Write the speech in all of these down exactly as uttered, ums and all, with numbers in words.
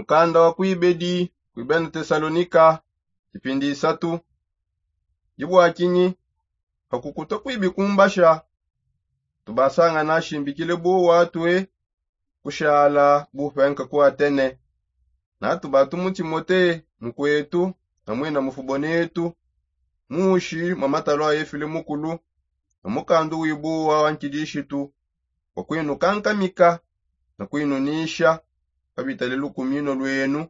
Mukanda wa kuibedi kuibena tesalonika, kipindi isatu. Dibwakinyi? Pakukuta kuibikumbasha tubasanga nashimbikile buwatue kushala bupenka ku atene. Natubatumu timote mukwetu, na mwina mufubonetu, mushi mwa matalo a efile mukulu, na mukandu wibuwa wa nkidishitu, wa kwinukankamika na kwinunisha pabitale lukumino lwenu,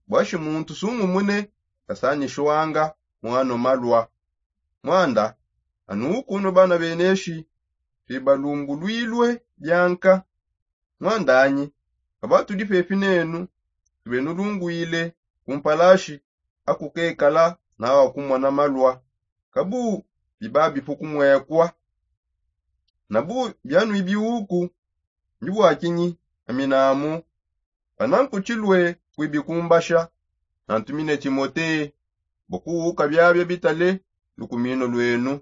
bwashi muntu sungumune kasanishwanga mwano malwa. Mwanda, anuukunwe bana beneshi bibalumbulwilwe byanka. Mwandanyi, kaba tudi pepi nenu, tube nulungwile kumpalashi akukekala nawa kumona malwa, kabu bibabipu kumwekwa. Nabu byanwibiuku, ndibwakinyi? Aminamu, panankuchilwe kuibikumbasha, nantumine timote, bokuwuka byabya bitale lukumino lwenu.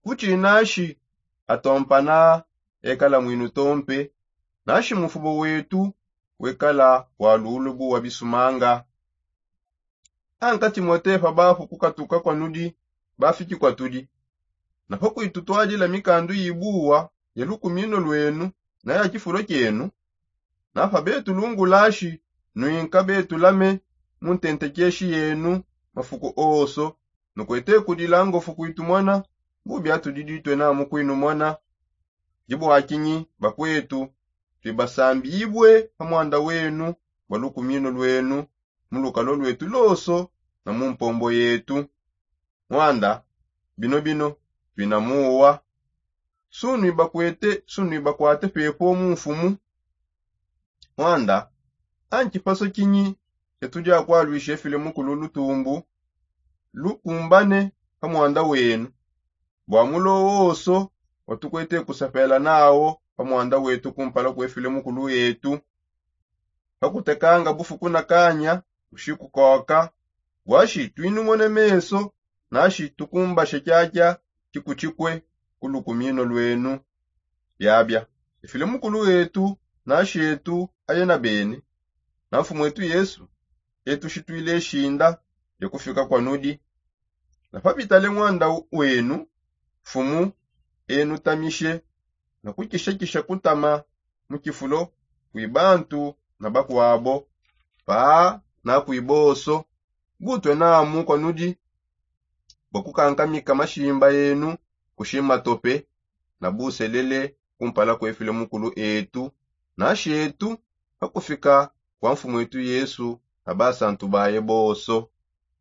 Kuchinashi atompana ekala mwinu tompe, nashi mufubo wetu wekala walulubu wa bisumanga. Anka timote pabafu kukatuka kwanudi, bafiki kwatudi. Napo kwitutwadila mikandu yibuwa ya lukumino lwenu na ya chifulo kyenu. Napa betulungulashi nwinka betulame mu ntentekyeshi yenu mafuku oso, nukwete kudila ngofu kwitumona, bubyatudi ditwena mukwinumona. Dibwakinyi bakwetu, twibasambibwe pa mwanda wenu bwa lukumino lwenu, mu lukalo lwetu loso na mu mpombo yetu. Mwanda, bino bino twina muwa. Sunwibakwete sunwibakwate pepo mu mfumu. Mwanda, anchipaso kinyi chetudi akwalwisha efile mukulu lutumbu lukumbane pa mwanda wenu? Bwa mulo woso watukwete kusapela nawo pa mwanda wetu kumpala kwefile mukulu etu. Pakutekanga bufuku na kanya, ushikukoka, bwashi twinumone meso nashi tukumbashe kyakya chikuchikwe ku lukumino lwenu. Byabya, efile mukulu etu nashi etu ayena bene, na mfumu etu yesu, etu shitwile shinda lya kufika kwanudi. Na papitale mwanda wenu, mfumu enutamishe na kukishakisha kutama mu chifulo kwi bantu na bakwabo, paa na kwi boso. Butwe namu kwanudi bwa kukankamika mashimba enu kushima tope na buselele kumpala kwefile mukulu etu nashi etu, pakufika kwa mfumu etu yesu na basantu baye boso.